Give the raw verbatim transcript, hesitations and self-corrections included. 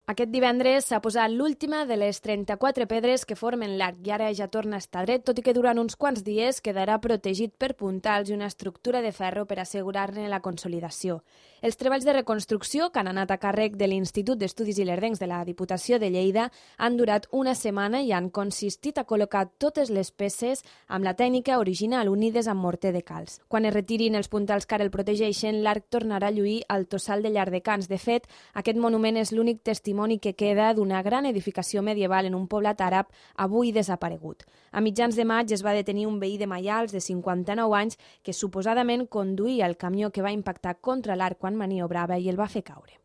Aquest divendres s'ha posat l'última de les trenta-quatre pedres que formen l'arc i ara ja torna a estar dret, tot i que durant uns quants dies quedarà protegit per puntals i una estructura de ferro per assegurar-ne la consolidació. Els treballs de reconstrucció, que han anat a càrrec de l'Institut d'Estudis Ilerdencs de la Diputació de Lleida, han durat una setmana i han consistit a col·locar totes les peces amb la tècnica original unides amb morter de calç. Quan es retirin els puntals que ara el protegeixen, l'arc tornarà a lluir al Tossal de Llardecans. De fet, aquest monument és l'únic testimoni que queda d'una gran edificació medieval en un poblat àrab avui desaparegut. A mitjans de maig es va detenir un veí de Maials de cinquanta-nou anys que suposadament conduïa el camió que va impactar contra l'arc quan maniobrava i el va fer caure.